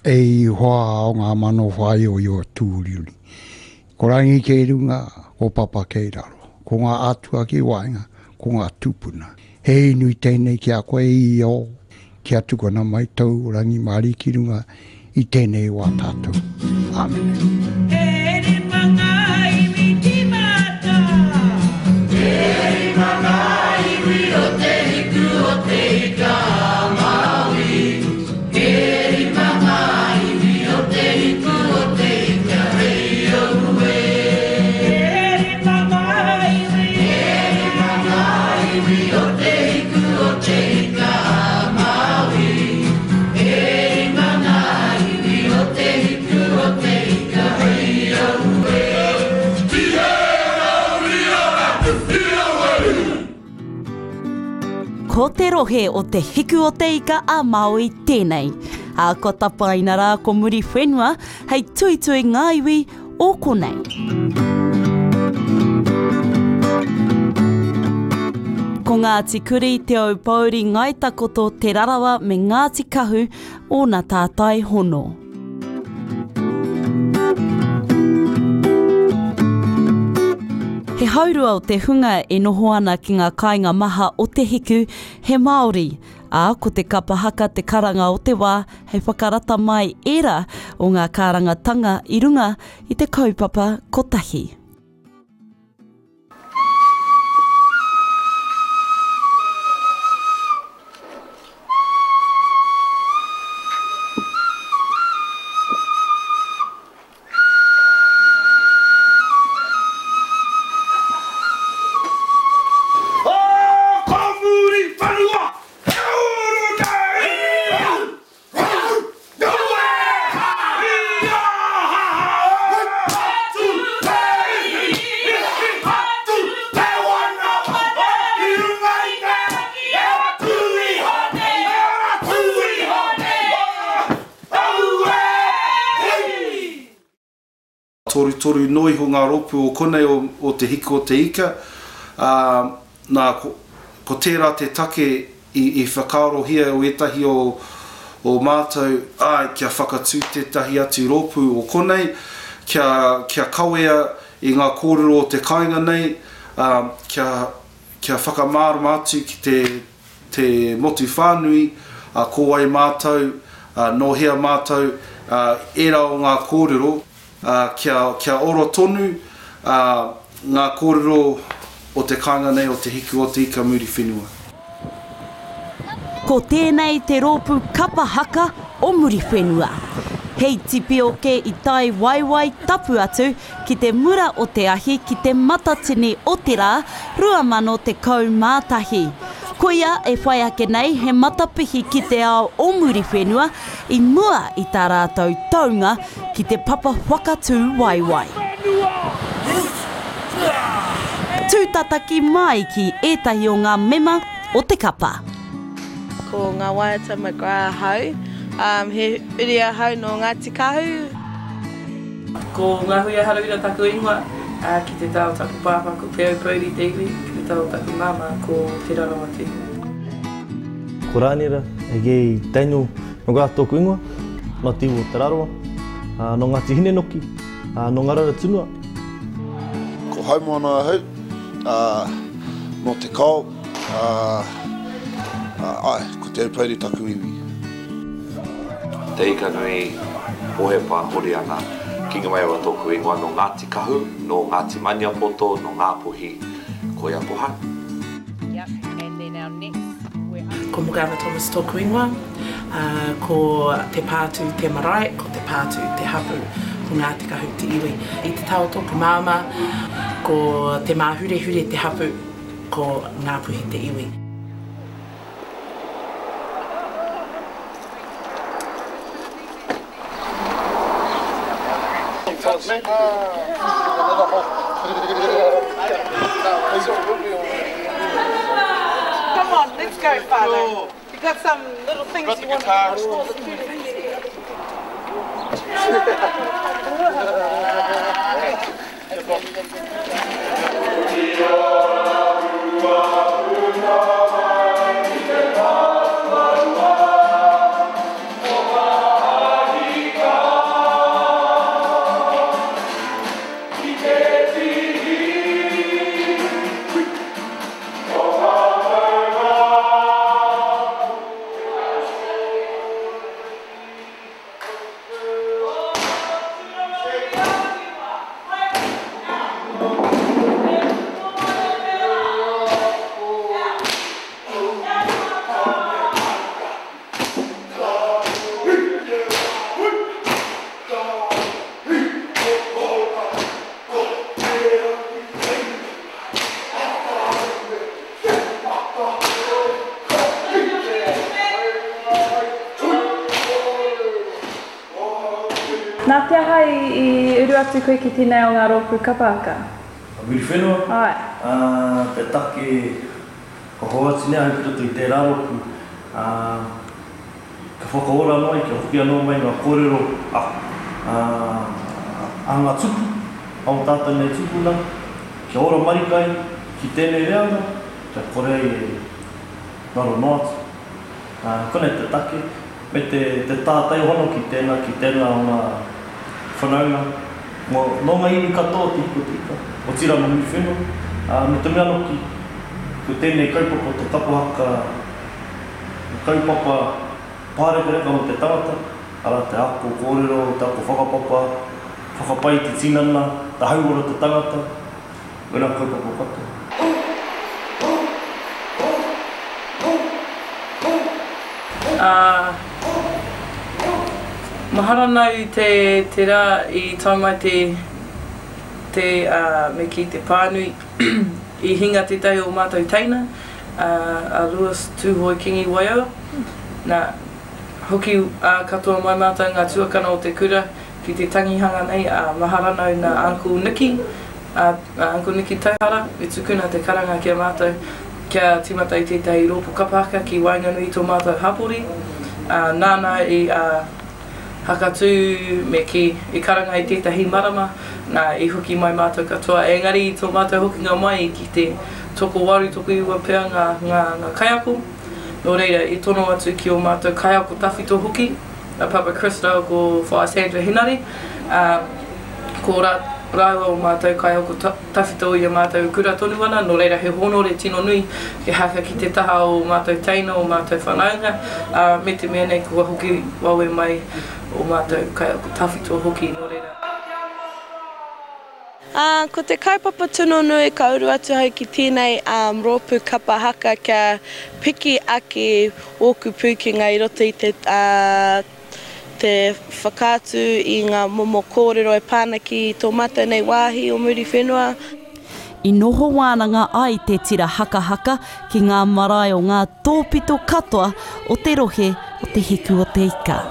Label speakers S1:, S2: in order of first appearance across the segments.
S1: E hoa o ngā mano whāioio tūriuri. Ko Rangi kei runga, ko Papa kei raro. Ko ngā atua ki waenga, ko ngā tūpuna. He inui tēnei ki a koe i o, kia tukuna mai tōu rangimārie ki runga i tēnei wā tātou. Āmene.
S2: E rima ngā iwi tīmata.
S3: E rima ngā iwi o te hiku o te ika a Māui. E rima ngā iwi o te hiku o te ika hei aue.
S2: E rima ngā iwi.
S3: E rima ngā iwi o te hiku o te ika a Māui. E rima ngā iwi o te hiku o te ika hei aue.
S4: Ko te rohe o Te Hiku o Te Ika a Māui tēnei, ā, kua tapaina rā ko Muriwhenua hei tuitui ngā iwi o konei. Ko Ngāti Kuri, Te Aupōuri, Ngāi Takoto, Te Rarawa me Ngāti Kahu ōna tātai hono. He haurua o te hunga e noho ana ki ngā kāinga maha o Te Hiku he Māori, ā, ko te kapa haka te karanga o te wā hei whakarata mai ērā o ngā kārangatanga i runga i te kaupapa kotahi.
S5: O ko Muriwhenua he uru nei! Torutoru noa iho ngā rōpū o konei o Te Hiku o Te Ika, ā, nā, ko, ko tērā te take i, i whakaarohia o ētahi o, o mātou, āe, kia whakatū tētahi atu rōpū o konei, kia, kia kawea i ngā kōrero o te kāinga nei, ā, kia, kia whakamārama atu ki te, te motu whānui, ā, ko wai mātou, ā, nō hea mātou, ā, ērā o ngā kōrero, ā, kia, kia ora tonu, ā, ngā kōrero o te kāinga nei o Te Hiku o Te Ika Muriwhenua.
S4: Ko tēnei te rōpū kapa haka o Muriwhenua. He iti pioke i tae waewae tapu atu ki te mura o te ahi ki te Matatini o te Rā 2011. Koia e whai ake nei he matapihi ki te ao o Muriwhenua i mua i tā rātou taunga ki te papa whakatū waewae. Tūtataki mai ki ētahi o ngā mema o te kapa.
S6: Ko Ngā Waiata McGrath ahau. He uri ahau nō Ngāti Kahu.
S7: Ko Ngahuia Harawira taku ingoa, ā, ki te taha o taku pāpā ko Te Aupōuri te iwi, ki te taha o taku māmā ko Te Rarawa te iwi.
S8: Ko Rāniera, aka Daniel McGrath tōku ingoa, nō te iwi o Te Rarawa, ā, nō Ngāti Hinenoki, ā, nō Ngararatunua.
S9: Ko Haumoana ahau, ā, nō Te Kao, ā, āe, ko Te Aupōuri taku iwi.
S10: Te Ikanui, Hohepa, Horiana, Kingi Maiawa tōku ingoa, nō Ngāti Kahu, nō Ngāti Maniapoto, nō Ngāpuhi, koia ko hau.
S11: Ko Morgana Thomas tōku ingoa, ko Te Pātū te marae, ko Te Pātū te hapū, ko Ngāti Kahu te iwi. I te taha o tōku māmā, ko Te Māhurehure te hapū, ko Ngāpuhi te iwi.
S6: Come on, let's go, whānau. You got some little things you want to explore the Nā te aha i uru atu koe ki tēnei o ngā rōpū kapa haka?
S8: A Muriwhenua?
S6: Āe.
S8: Ā, te take kua hoatu nei ahau ki roto i tērā rōpū, ā, kia whakaora anō ai, kia hoki anō mai ngā kōrero a, ā, a ngā tupu, a ō tātou nei tūpuna, kia ora marika ai ki tēnei reanga, kia kore ai e ngaro noa atu. Ā, konei te take, me te, te tātai hono ki tēnā, ki tēnā o ngā whanaunga, mō, nō ngā iwi katoa o Te Hiku o Te Ika, otirā nō Muriwhenua, ā, me te mea hoki, ko tēnei kaupapa o te kapa haka, he kaupapa pārekareka mō te tangata, arā, te ako kōrero, te ako whakapapa, whakapai i te tinana, te hauora o te tangata, wērā kaupapa katoa.
S7: Ā, mahara nau te, te rā i tae mai te, te, ā, me kī te pānui, i hinga tētahi o mātou teina, ā, a Lewis Tūhoe Kingi Waiau. Nā, hoki, ā, katoa mai mātou ngā tuakana o te kura ki te tangihanga nei, ā, mahara nau nā Uncle Nicky, a Uncle Nicky Tauhara, i tukuna te karanga ki a mātou kia tīmata i tētahi rōpū kapa haka ki waenganui i tō mātou hapori, ā, nāna i hakatū me kī, i karanga i tētahi marama, nā, i hoki mai mātou katoa. Engari i tō mātou hokinga mai i kite tokowaru, tokoiwa pea ngā, ngā, ngā kaiako, nō reira i tono atu ki ō mātou kaiako tawhito hoki, a Papa Chris rāua ko Whaea Sandra Henare, ā, ko rā, rāua o mātou kaiako tawhito i a mātou e kura tonu ana, nō reira he hōnore tino nui kia haka ki te taha o mātou teina, o mātou whanaunga, ā, me te mea nei kua hoki wawe mai o mātou kaiako tawhito hoki, nō reira.
S6: Ā, ko te kaupapa tino nui ka uru atu ahau ki tēnei rōpū kapa haka kia piki ake ōku pūkenga i roto i te, te whakaatu i ngā momo kōrero e pā ana ki tō mātou nei wāhi o Muriwhenua.
S4: I noho wānanga ai te tira hakahaka ki ngā marae o ngā tōpito katoa o te rohe o Te Hiku o Te Ika.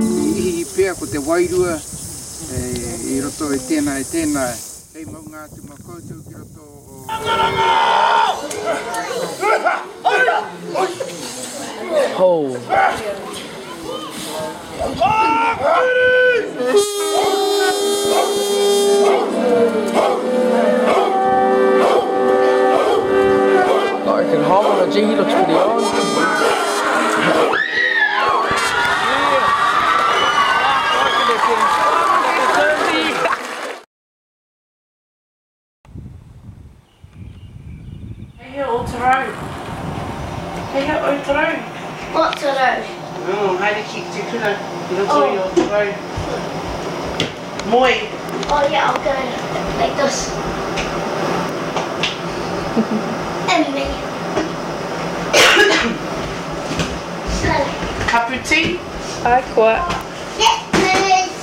S12: I ihi pea ko te wairua i roto i tēnā i tēnā, hei maunga atu ma koutou ki roto o.
S11: Kei hea o Tarau? Kei hea o Tarau?
S13: O Tarau.
S11: Oh, haere ki te kura i roto i o Tarau. Moe.
S13: Oh yeah, I'll go like this. And me.
S11: Kapu tī?
S6: Ai koa.
S13: Yes, please.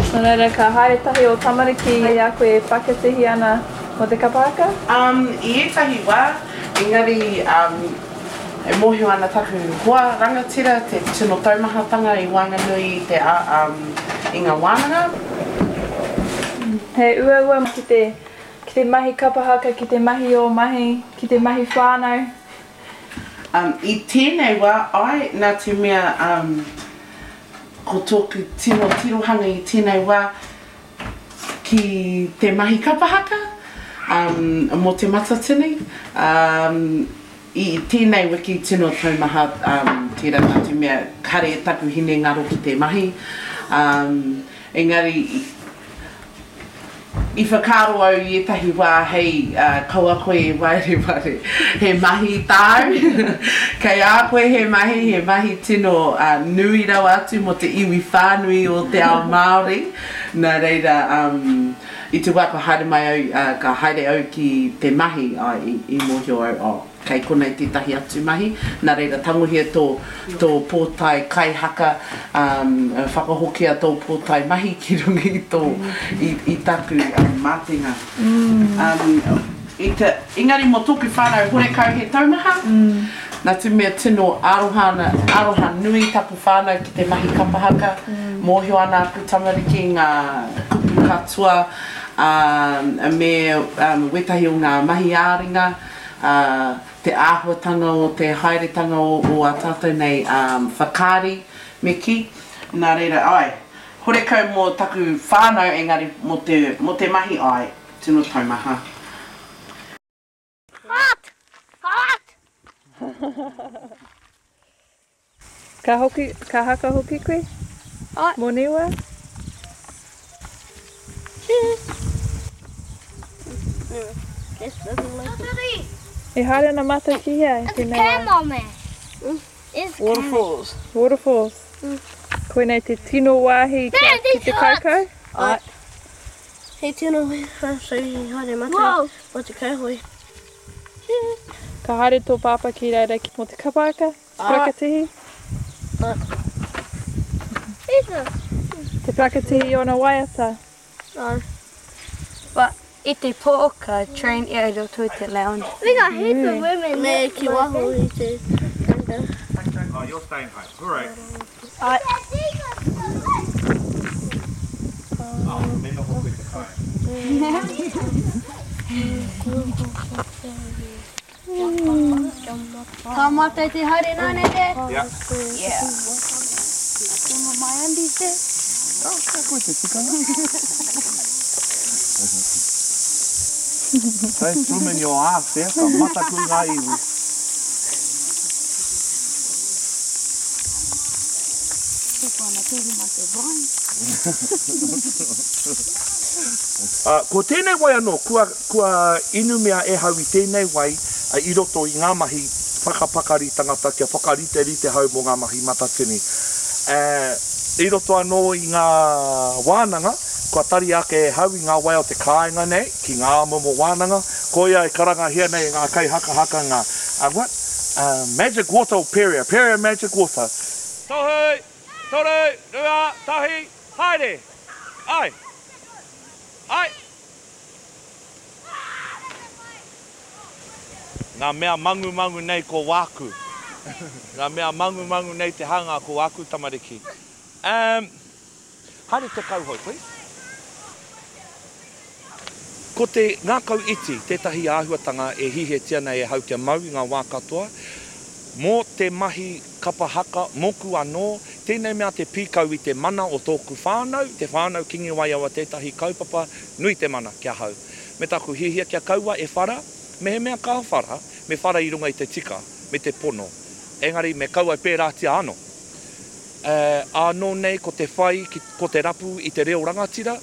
S6: Nō reira, ka haere tahi ō tamariki i a koe e whakatihi ana mō te kapa haka?
S11: Um, i ētahi wā, engari um, e mōhio ana taku hoa rangatira te tino taumahatanga i waenganui i te um, i ngā wānanga.
S6: He uaua ki te, ki te mahi kapa haka, ki te mahi ō mahi, ki te mahi whānau.
S11: Um, i tēnei wā, āe, nā te mea um, Ko tōku tino tirohanga i tēnei wā ki te mahi kapa haka, um, mō Te Matatini. Um, i tēnei wiki tino taumaha um, tērā nā te mea kare taku hinengaro ki te mahi. Um, engari, I whakaaro au i ētahi wā hei kaua koe e wareware he mahi tāu, kei a koe he mahi, he mahi tino nui rawa atu mō te iwi whānui o te ao Māori, nā reira I te wā ka haere mai au, ka haere au ki te mahi, āe, i mōhio au, oh, kei konei tētahi atu mahi, nā reira tangohia tō, tō pōtae kaihaka, whakahokia tō pōtae mahi ki runga i tō, i, i taku mātenga. I te, engari mō tōku whānau horekau he taumaha, nā te mea tino aroha ana, aroha nui taku whānau ki te mahi kapa haka, mōhio ana aku tamariki ngā kupu katoa, ā, me wētahi o ngā mahi ā-ringa, ā, te āhuatanga o te haeretanga o, o ā tātou nei whakaari, me kī. Nā reira, āe, horekau mō taku whānau engari mō te, mō te mahi, āe. Tino taumaha.
S13: Hot! Hot!
S7: Ka hoki, ka haka hoki koe?
S13: Ai.
S7: Mo Niwa? E haere ana matou ki hea i tenei wa?
S13: Waterfalls.
S7: Waterfalls. Koinei te tino wahi ki te kaukau?
S13: Ai. He tino whai haere matou mo te kauhoe.
S7: Ka haere tō pāpā ki reira mō te kapa haka, te parakatihi? Te parakatihi i ōna waiata?
S13: No. But i te pō ka train ia i roto i te lounge. We got heaps of women Me ki waho i te tanga.
S14: Oh, you're staying home. All right.
S13: Ai.
S14: Oh, me noho koe te kai.
S13: Ka mātou te haere nāne te?
S14: Yeah.
S13: Yeah. My undies te?
S14: Oh, ka koe te tikanga. Don't swim in your ass there, ka mataku ngā iwi. Ā, ko tēnei wai anō, kua, kua inumia e hau i tēnei wai i roto i ngā mahi whakapakari tangata kia whakariterite hau mō ngā mahi matatini. Ā, i roto anō i ngā wānanga, kua taria ake e hau i ngā wai o te kāinga nei ki ngā momo wānanga, koia e karangahia nei e ngā kaihakahaka ngā, what? Magic water o Peria, Peria magic water. Tohu, toru, rua, tahi, haere! Ai! Ai! Ngā mea mangumangu nei ko wāku. Ngā mea mangumangu nei te hanga ko āku tamariki. Um, haere te kauhou, please. Ko te ngākau iti tētahi āhuatanga e hihiatia nei e hau kia mau i ngā wā katoa, mō te mahi kapa haka, mōku anō, tēnei mea te pīkau i te mana o tōku whānau, te whānau Kingi Waiawa tētahi kaupapa nui te mana ki ahau. Me taku hiahia kia kaua e whara, mehemea ka whara, me whara i runga i te tika, me te pono. Engari me kaua e pērātia anō. Ānō nei ko te whai, ko te rapu i te reo rangatira,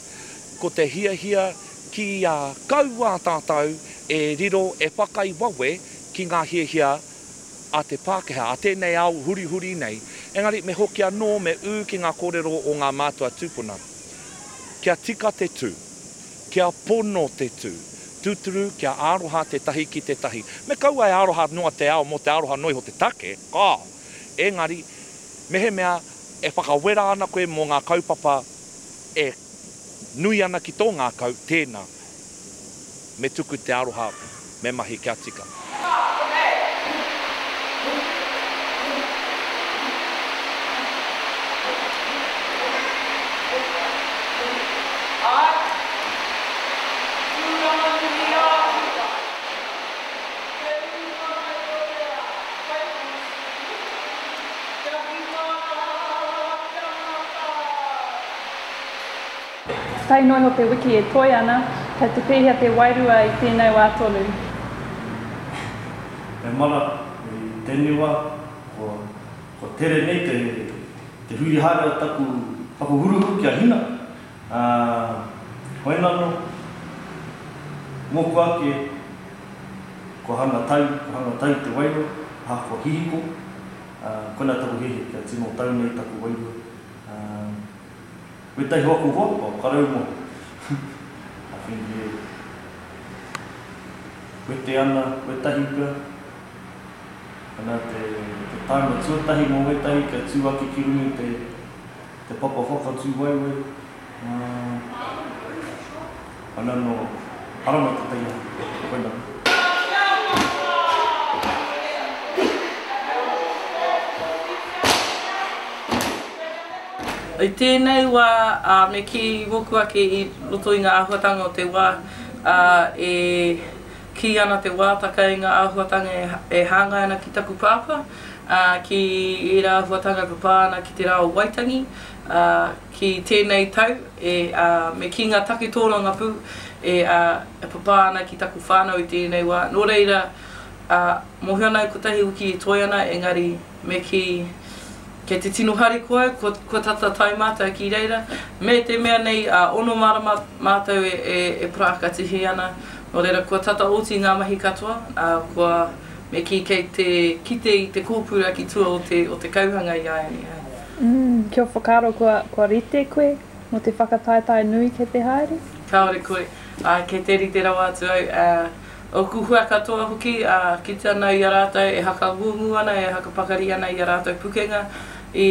S14: ko te hiahia kia kaua tātou e riro, e whakai wawe ki ngā hiahia a te Pākehā, a tēnei ao hurihuri nei. Engari me hoki anō, me ū ki ngā kōrero o ngā mātua tūpuna. Kia tika te tū. Kia pono te tū. Tūturu, kia aroha tētahi ki tētahi. Me kaua e aroha noa te ao mō te aroha noa iho te take, kāo. Engari, mehemea e whakawera ana koe mō ngā kaupapa e nui ana ki tō ngākau, tēnā, me tuku te aroha, me mahi kia tika.
S7: Tae noa iho te wiki e toe ana, kei te pēhea te wairua i tēnei wā tonu?
S8: E mara, i tēnei wā, kua, kua tere nei te, te huri haere o taku, taku huruhuru kia hina, ā, hoinānō, mōku ake, kua hanga tau, kua hanga tau te wairua, ahakoa hihiko, ā, koinā taku hiahia kia tino tau nei taku wairua, ā, Wētahi o aku hoa, kua karau moe. think e wete ana wetahi pea. Ana te, te taima tuatahi mō wetahi kia tū ake ki runga i te, te papa whakatū waewae. Ana nō haramai te taiaha. Koina.
S7: I tēnei wā, ā, me kī mōku ake i roto i ngā āhuatanga o te wā, ā, e kī ana te wātaka i ngā āhuatanga e hāngai ana ki taku pāpā, ā, ki ērā āhuatanga e papā ana ki te rā o Waitangi, ā, ki tēnei tau, e, ā, me kī ngā take tōrangapū e, ā, e papā ana ki taku whānau i tēnei wā. Nō reira, ā, mōhio ana au kotahi wiki e toe ana, engari me kī, kei te tino harikoa au, kua, kua tata tae mātou ki reira, me te mea nei, ā, ono marama mātou e, e, e parākatihi ana, nō reira, kua tata oti ngā mahi katoa, ā, kua, me kī kei te kite i te kōpura ki tua o te, o te kauhanga i āianei, āe.
S15: Mm, kia whakaaro kua, kua rite koe mō te whakataetae nui kei te haere?
S7: Kāore koe. Āe, kei te rite rawa atu au, ā, ōku hua katoa hoki, ā, kite ana au i a rātou e hakangungu ana, e hakapakari ana i a rātou pukenga, i,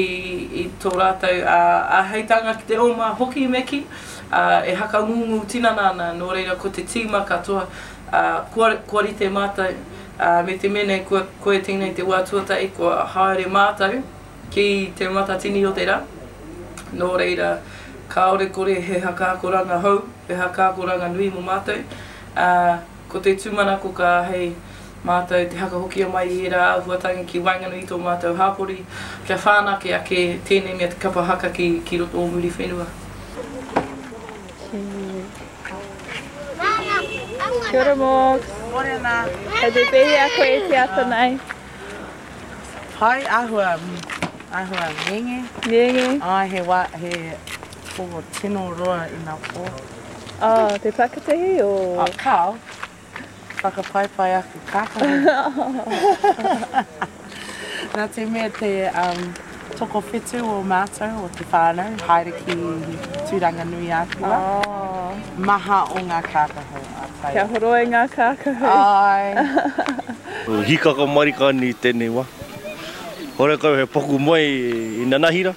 S7: i tō rātou, ā, āheitanga ki te oma hoki me kī, ā, e hakangungu tinana ana, nō reira ko te tīma katoa, ā, kua, kua rite mātou, ā, me te mea nei kua, koia tēnei te wā tuatahi kua haere mātou ki Te Matatini o te Rā, nō reira, kāore kore he hakaakoranga hou, he hakaakoranga nui mō mātou, ā, ko te tūmanako ka āhei mātou te hakahokia mai i ērā āhuatanga ki waenganui i tō mātou hāpori, kia whānake ake tēnei mea te kapa haka ki, ki roto o Muriwhenua.
S15: Kia ora Morgs.
S11: Morena.
S15: Kei te pēhea koe i te ata nei?
S11: Pai, āhua, āhua ngenge.
S15: Ngenge.
S11: Āe, he wā, he pō tino roa ina pō.
S15: Oh, te pakatihi o?
S11: Oh, kāo. Whakapaipai aku kākahu. Nā te mea te um, tokowhitu o mātou o te whānau haere ki Tūranganui-a-Kiwa.
S15: Oh.
S11: Maha o ngā kākahu a tai.
S15: Kia horoi ngā kākahu.
S11: Ai.
S8: Hikaka marika ana i tenei wa. Horekau he paku moe i nanahira.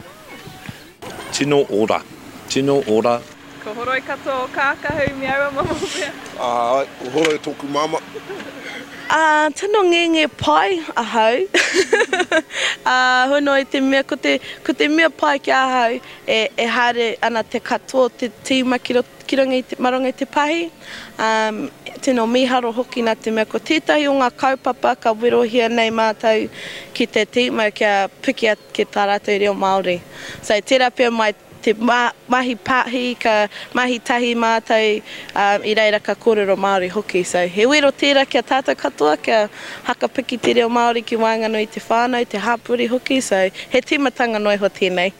S10: Tino ora. Tino ora.
S15: Ko horoi katoa o kākahu me aua momo mea.
S9: Āe, ko Horoi tōku māmā.
S6: Ā, tino ngenge pai ahau. Ā, hoi noa i te mea, ko te, ko te mea pai ki ahau, e, e haere ana te katoa o te tīma ki roto, ki runga i te, ma runga i te pahi. Ā, tino mīharo hoki nā te mea ko tētahi o ngā kaupapa ka werohia nei mātou ki te tīma kia piki ake tā rātou reo Māori. So, tērā pea mai te mahi pahi, ka mahi tahi mātou, ā, i reira ka kōrero Māori hoki. So, he wero tērā ki a tātou katoa kia hakapiki te reo Māori ki waenganui i te whānau, te hapori hoki, so he tīmatanga noa iho tēnei.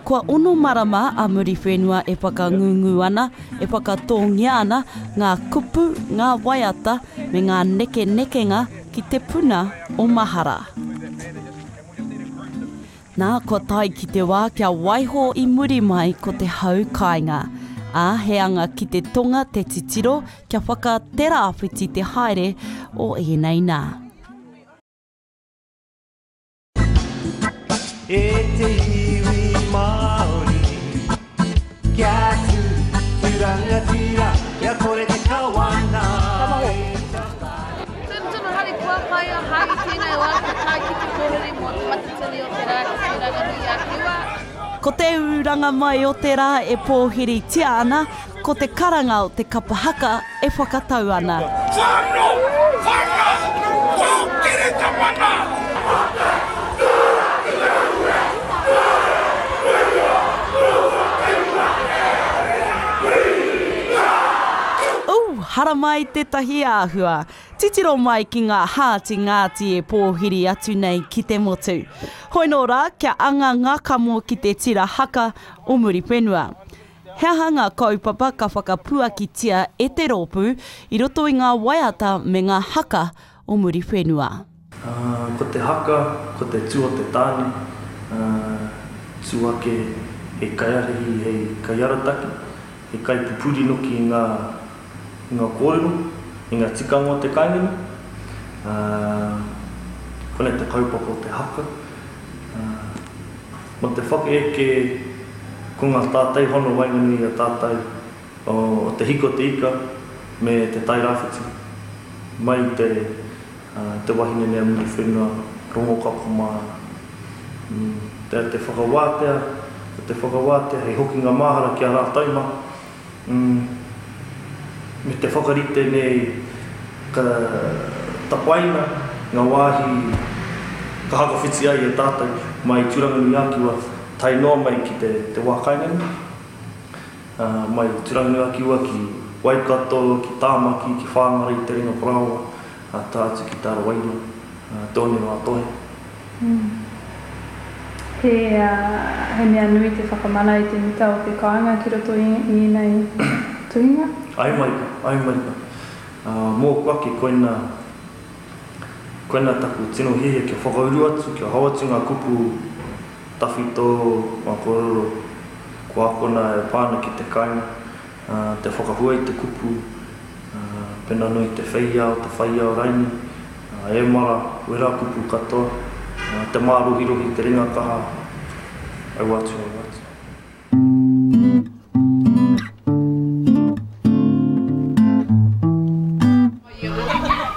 S4: Kua ono marama a Muriwhenua e whakangungu ana, e whakatōngia ana ngā kupu, ngā waiata me ngā nekenekenga ki te puna o mahara. Nā, kua tae ki te wā kia waiho i muri mai ko te hau kāinga. Ā, he anga ki te tonga te titiro kia whaka-te-rāwhiti te haere o ēnei nā.
S3: E te iwi Māori, kia tū, tū rangatira, kia kore te kawana e
S13: tawhai. Tino tino harikoa pai ahau i tēnei wā kia tae ki te kōrere mō Te Matatini o te Rā ki Tūranganui-a-Kiwa.
S4: Ko te ūranga mai o te rā e pōhiritia ana, ko te karanga o te kapa haka e whakatau ana.
S3: Whano! Whanga! Kōkiri te mana!
S4: Ooh, haramai tētahi āhua. Titiro mai ki ngā hāti ngāti e pōhiri atu nei ki te motu. Hoi nō rā, kia anga ngā kamo ki te tira haka o Muriwhenua. He aha ngā kaupapa ka whakapuakitia e te rōpū i roto i ngā waiata me ngā haka o Muriwhenua?
S8: Ko te haka, ko te tū o te tāne, tū ake hei kaiārahi, hei kaiarataki, hei kaipupuri noki i ngā, i ngā kōrero, i ngā tikanga o te kāinga nei. Konei te kaupapa o te haka. Mō te whakaeke ko ngā tātai hono waenganui i a tātou o Te Hiko o Te Ika me Te Tairāwhiti mai i te te wahine nei a Muriwhenua, Rongokako mā, te te whakawātea, ko te whakawātea hei hokinga māhara ki a rātou mā, me te whakarite nei ka tapaina ngā wāhi ka hakawhiti ai e tātou mai i Tūranganui-ā-Kiwa tae noa mai ki te te wā kāinga nei, mai i Tūranganui-ā-Kiwa ki Waikato, ki Tāmaki, ki Whāngārei, Te Ringa Parāoa. Ka tae atu ki Te Ara Wairua, te one o Atohe.
S15: He, he mea nui te whakamana i te mita o te kāinga ki roto i ēnei tuhinga?
S8: Ae marika, ae marika. Mōku ake, koina, koina taku tino hiahia kia whakauru atu, kia hao atu ngā kupu tawhito, ngā kōrero kua akona e pā ana ki te kāinga. te whakahua i te kupu, pena noa i te wheiao, te whaiao raini, e mara, wera kupu katoa, te mārohirohi, te ringa kaha, aua atu, aua atu.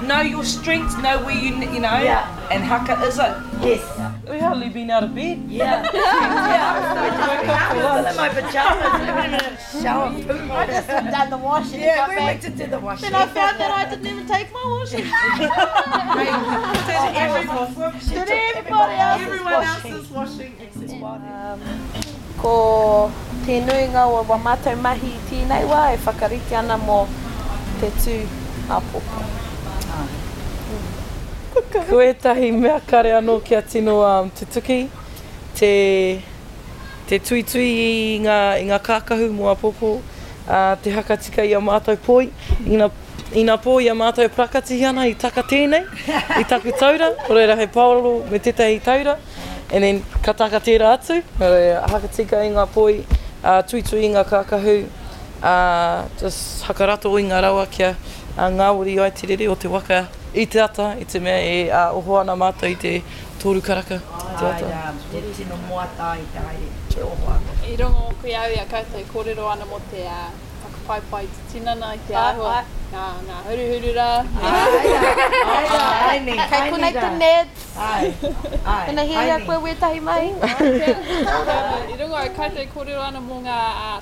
S7: Know your strengths, know where you, you know, yeah. and haka is it.
S16: Yes.
S7: We hardly been out of bed.
S16: Yeah. yeah. I'm still in my pajamas. I haven't even shower.
S2: I just done the washing.
S16: Yeah, we went to do the washing.
S2: Then I found that I didn't even take my washing.
S7: did everyone,
S2: did everybody else
S7: Everyone else is washing except
S6: um, Ko te nuinga o wa matou mahi i tēnei wā e whakarite ana mō te tū āpōpō.
S7: Ko ētahi mea kare anō kia tino tutuki, te te tuitui i ngā i ngā kākahu mō āpōpō, te hakatika i a mātou poi, ina ina pō i a mātou e parakatihi ana i taka tēnei, i taku taura, nō reira hei paororo me tētahi taura. And then ka taka tērā atu, nō reira, hakatika i ngā poi, tuitui i ngā kākahu, just hakarato i ngā rawa kia ngāwari ai te rere o te waka i te ata, i te mea e oho ana mātou i te toru karaka i te ata.
S16: Āe rā, te tino moata ai te haere, te oho anō.
S15: I rongo hoki au i a koutou e kōrero ana mō te whakapaipai i te tinana, i te āhua, ngā huruhuru rā.
S16: Āe rā, āe rā, āe nei, āe nei rā.
S6: Kei konei te neds.
S16: Āe, āe,
S6: Ina hiahia koe wētahi mahi.
S15: I rongo au koutou e kōrero ana mō ngā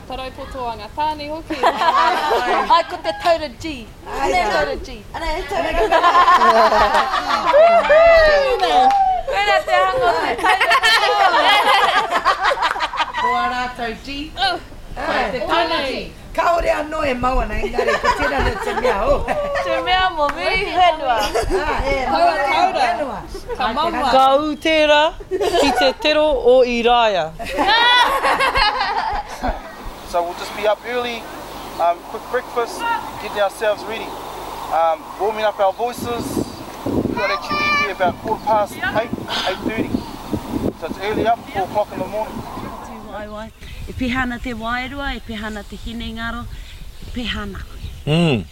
S15: tarau poto a ngā tāne hoki.
S6: Āe, ko te taura G.
S16: Āe rā.
S6: Taura G.
S16: Ana he taura G.
S6: Koina te hanga o te taura G.
S11: Ko ā rātou G, ko te taura G.
S16: Kāore anō e mau ana, engari ko tērā nō te mea, oh.
S6: Te mea mō Muriwhenua.
S15: Taua taura, ka maua.
S7: Ka ū tērā ki te tero o Iraia.
S5: So we'll just be up early, um, quick breakfast, getting ourselves ready. Um, warming up our voices, we've got to actually leave here about quarter past 8, 8.30. So it's early up, 4 o'clock in the morning.
S4: Tūwaewae. E peha ana te wairua, e peha ana te hinengaro, e peha ana koe.
S10: Mm.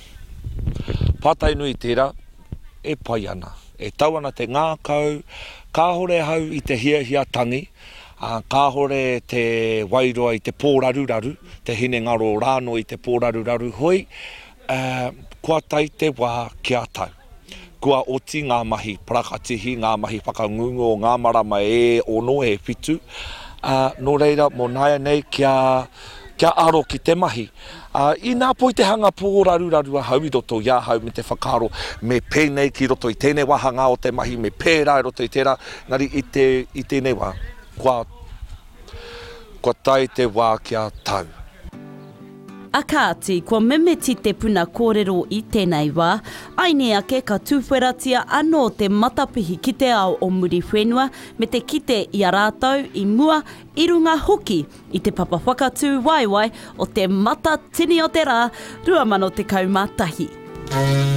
S10: Pātai nui tērā, e pai ana. E tau ana te ngākau, kāhore ahau i te hiahia tangi, ā, kāhore te wairua i te pōraruraru, te hinengaro rānō i te pōraruraru, hoi, ā, kua tae te wā kia tau. Kua oti ngā mahi parakatihi, ngā mahi whakangungu o ngā marama e ono, e whitu, ā, nō reira, mō nāianei kia, kia aro ki te mahi. Ā, inā poi te hanga pōraruraru ahau i roto i ahau me te whakaaro me pēnei ki roto i tēnei wāhangā o te mahi, me pērā i roto i tērā, engari i te, i tēnei wā, kua, kua tae te wā kia tau.
S4: A kāti, kua mimiti te puna kōrero i tēnei wā, aini ake ka tūwheratia anō te matapihi ki te ao o Muriwhenua me te kite i a rātou i mua, i runga hoki i te papa whakatū waewae o Te Matatini o te Rā 2011.